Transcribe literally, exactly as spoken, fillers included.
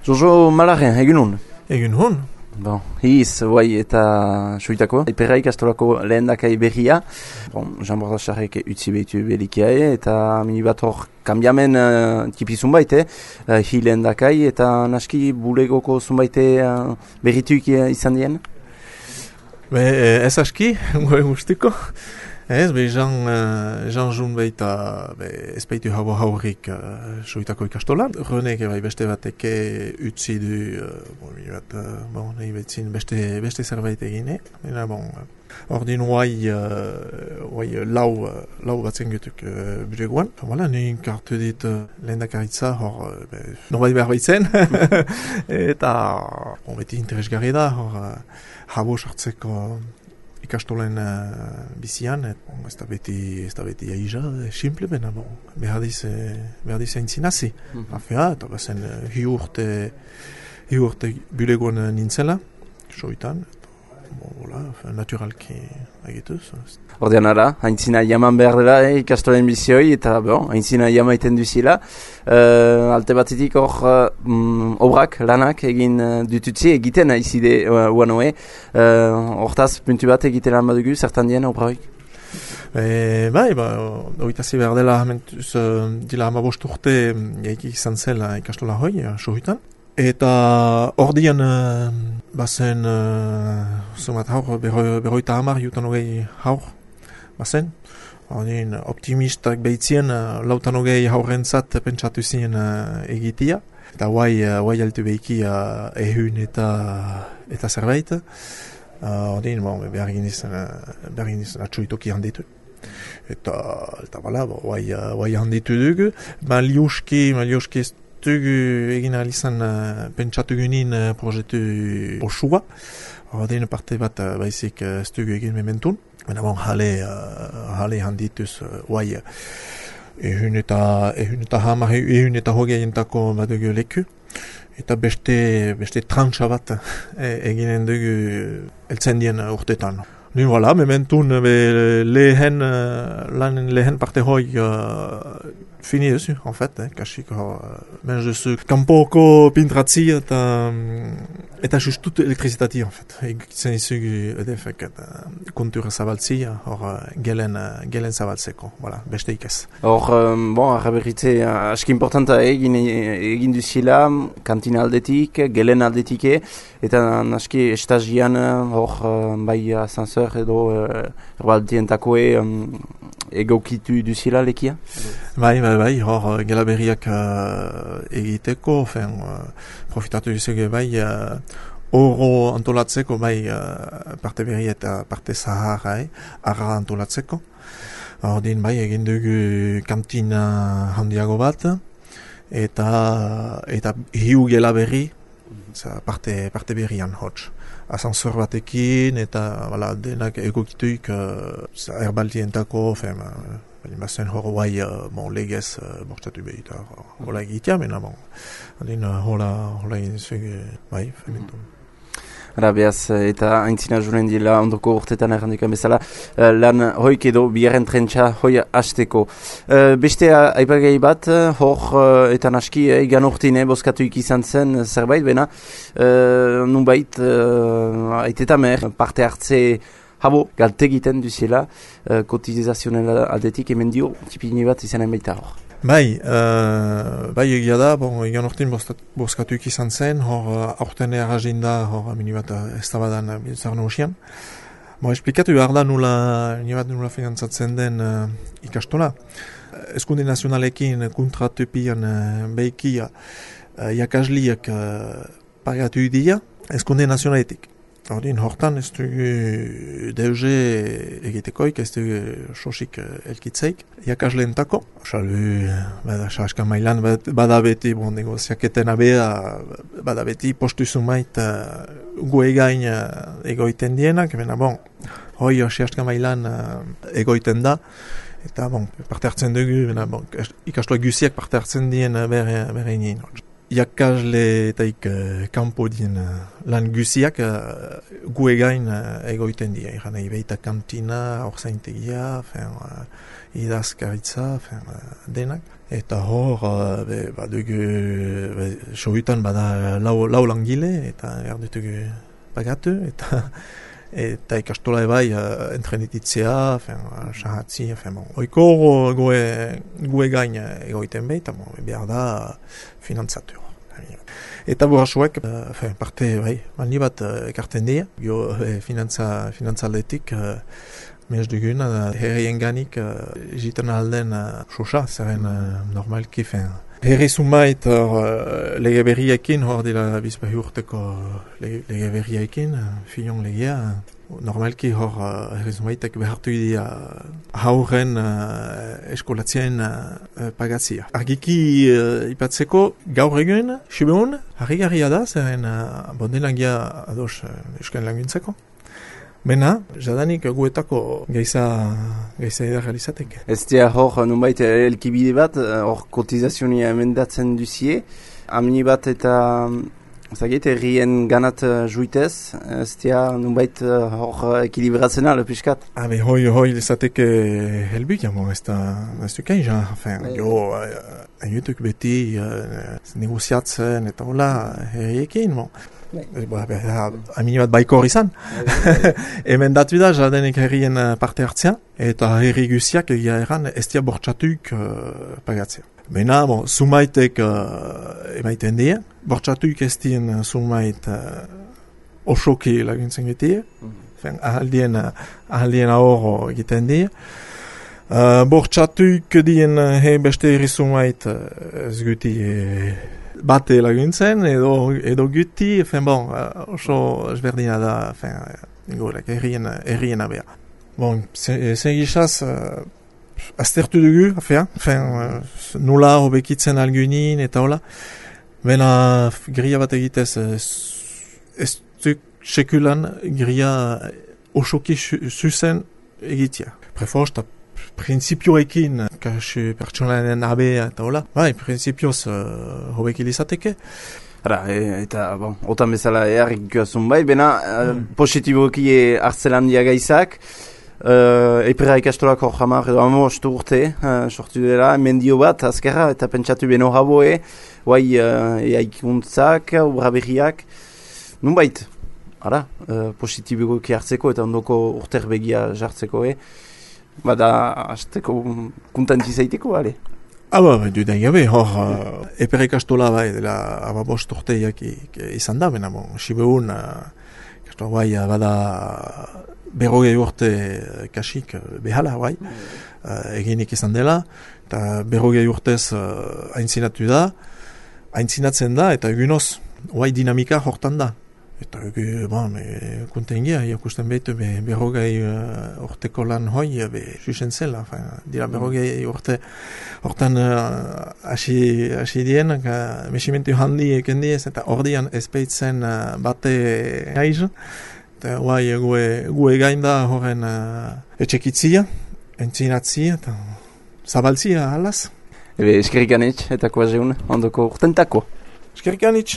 Jojo Malaren, egunon? Egunon. Bon, hiz, guai eta suitako. Iperra ikastolako lehendakai berria. Bon, Jean Bordacharek utzi behitu belikiae eta minibat hor kambiamen uh, tipizun baite. Uh, hi lehendakai eta naski bulegoko zunbaite uh, berrituik izan dien? Be, ez aski, goe guztiko. Ez, be, Jean, uh, Jean Jun baita ez baitu habo haurik uh, suitako ikastolan. Renek bai beste bateke utzi du, uh, bon, bat, uh, bon, nahi betzin beste, beste zerbait egine. Eta, bon, ordin guai, uh, guai lau, uh, lau batzen gutuk uh, bulegoan. Voilà, nahi kartu dit uh, lehendakaritza hor, uh, be, norbait behar baitzen. Eta, bon, beti interesgarri da, hor, uh, habo sartzeko ikastolen uh, bizian, et, bon, ez da beti, ez da beti aija, simple bena, bon, behar diz, behar diz aintzinazi. Mm-hmm. Afea, eta bazen uh, hi urte, hi urte bulegoan nintzela, soitan, bon, voilà, naturalki agituz. Ordean ara, haintzina jaman behar dela eh, ikastolen bizioi, eta bon, haintzina jamaiten duzila. Uh, alte batetik hor uh, obrak, lanak egin uh, dututzi, egiten izide uh, uanoe. Hortaz, uh, puntu bat egiten lan badugu, zertan dien obraik? E, bai, ba, oitazi behar dela, mentuz, uh, dila hama bost urte jaiki izan zela ikastola hoi, uh, sohuitan. Eta ordian uh, bazen, uh, zumat haur, berroita hamar, jutan hogei haur, bazen. Ordin optimistak behitzien, uh, lautan hogei haurrentzat pentsatu zien uh, egitia. Eta guai, uh, guai altu behiki uh, ehun eta, eta zerbait. Uh, ordin, bon, behar ginizan, uh, behar ginizan atxoitoki handitu. Eta, eta bala, guai, uh, guai handitu dugu. Maliuski, maliuski ez dugu egin alizan uh, pentsatu gunin uh, projetu osua. Ordin parte bat uh, baizik uh, ez dugu egin mementun. Baina bon, jale, uh, jale handituz, uh, guai, ehun eta, ehun eta hamar, ehun eta hogeientako badugu leku. Eta beste, beste trantsa bat e, eginen dugu eltzen dien urtetan. Ni voilà, mementun be, lehen, lan lehen parte hoi uh, fini duzu, en fait, eh, kasik hor, uh, menz duzu kanpoko pintratzi eta, eta justut elektrizitati, en fait. Egitzen izugu edefek eta kontura zabaltzi, hor gelen, gelen zabaltzeko, voilà, beste ikez. Hor, um, bon, arraberritze, aski importanta egin, egin duzila, kantina aldetik, gelen aldetike, eta naski estagian hor, bai asanseur edo erbaldientakoe um, egokitu duzila lekia? Bai, bai, bai, hor gela berriak uh, egiteko, fen, uh, profitatu duzuge bai, uh, oro antolatzeko, bai, uh, parte berri eta parte zahara, eh, arra antolatzeko. Ordin, bai, egin dugu kantina handiago bat, eta, eta hiu gela berri, parte, parte berrian hotz. Asansor batekin, eta voilà, denak egokituik uh, erbaldientako, fen, uh, bazen hor guai, uh, bon, legez uh, bortatu behita, hola egitea, mena, bon, adin, uh, hola, hola egin zuge, bai, fementun. Ara, behaz, eta haintzina juren dila ondoko urtetan errandukan bezala, uh, lan hoik edo bigarren trentsa hoi hasteko. Uh, beste aipagai bat, hor uh, eta naski egan uh, urtine boskatuik izan zen zerbait, bena, uh, nunbait, uh, aitetamer, parte hartze habo, galte egiten duzela, uh, kotizazionel aldetik, hemen dio, tipini bat izanen baita hor. Bai, uh, bai egia da, bon, egan orten bozkatuik izan zen, hor uh, aurten errazinda, hor minibat ez tabadan biltzar nausian. Bon, esplikatu behar da nula, minibat nula finantzatzen den uh, ikastola. Eskunde nazionalekin kontratupian uh, behiki uh, jakasliak uh, pagatu idia, eskunde nazionaletik. Ordin, hortan ez dugu deuze egitekoik, ez dugu sosik elkitzeik, jakasleentako. Salu, bada, saska mailan bada beti, bon, negoziaketen abea, bada beti postu zumait uh, gu egain uh, egoiten dienak, bena, bon, hoi saska mailan uh, egoiten da, eta, bon, parte hartzen dugu, bena, bon, ikastoa guziak parte hartzen dien uh, bere, bere nien. Jakasle eta ik uh, kanpo dien uh, lan guziak uh, gu egain uh, egoiten dira. Egan nahi behita kantina, orzaintegia, uh, idazkaritza, uh, denak. Eta hor, uh, be, badugu, be, sohutan bada lau, lau langile, eta erdutugu pagatu, eta eta ikastola ebai uh, entrenititzea, sahatzi, bon, oiko goe, goe gain egoiten behi, eta bon, behar da finantzatu. Eta burasuek, uh, parte, bai, mani bat uh, ekarten dira, jo eh, finantza, finantzaldetik, uh, mez dugun, uh, herrien ganik, uh, jiten alden uh, sosa, zeren uh, normalki, fen. Herri zumait uh, lege berriekin, hor dira bizpahi urteko lege, lege berriekin, uh, filion legea, normalki hor uh, herri zumaitek behartu idea hauren uh, eskolatzien uh, pagatzia. Argiki uh, ipatzeko gaur egun, sibeun, harri-garria da, zeren uh, bondelangia ados uh, eusken laguntzeko. Bena, jadanik guetako geiza, geiza edar realizateke. Ez dira hor, nunbait, elkibide bat, hor kotizazionia emendatzen duzie, amni bat eta, zagit, errien ganat juitez, ez dira nunbait hor ekilibratzen ala piskat. Habe, hoi, hoi, lezateke helbuk, jamo, ez da, ez du kain, ja, enfin, jo, hainiutuk beti uh, negoziatzen eta hola, herriekin, bon. Amini bat baikor izan. Hemen datu da, jadenek herrien parte hartzea, eta herri guziak egia eran ez dira bortxatuk uh, pagatzea. Bena, bon, sumaitek uh, emaiten dira, bortxatuk ez dien sumait uh, osoki laguntzen getie, mm. ahaldien, ahaldien ahorro egiten dira. Uh, bortxatuk dien he beste herri sumait uh, ez guti uh, bate laguntzen, edo, edo guti, fen bon, oso ezberdina da, fen, gorek, errien, errien abea. Bon, zen gizaz, uh, aztertu dugu, afea, fen, uh, nula hobekitzen algunin, eta hola, bena gria bat egitez, ez duk sekulan gria osoki zuzen egitea. Prefosta, prinsipioekin, kasu pertsonaren abea eta hola, bai, prinsipioz uh, hobek ilizateke. Hara, e, eta, bon, otan bezala eharrik joazun bai, bena mm. positiboki hartzelan diagaizak, uh, epera ikastolak hor jamar edo amostu urte, uh, sortu dela, mendio bat, azkerra, eta pentsatu beno jaboe, guai, uh, eikuntzak, obra berriak, nunbait, hara, uh, positiboki hartzeko eta ondoko urter begia jartzeko, eh? Bada, azteko kuntanti zaiteko, ale? Aba, du da gabe, hor, uh, epere ikastola bai, dela ababost urteiak izan da, bena, bon, sibeun, uh, ikastola bai, bada berrogei urte kasik behala, bai, uh, eginik izan dela, eta berrogei urtez uh, aintzinatu da, aintzinatzen da, eta egunoz, bai dinamika hortan da. Eta egu, bon, kontengia, ikusten behitu, be, berrogei uh, urteko lan hoi, be, susen zela, fin, dira berrogei urte, hortan hasi uh, dien, uh, mesimentu handi eken diez, eta ordian ezpeitzen uh, bate haiz, eta guai, gue, gue gain da horren uh, etxekitzia, entzinatzia, eta zabaltzia alaz. Ebe, eskerrik anitz, eta koazeun, ondoko urtentako. Eskerrik anitz.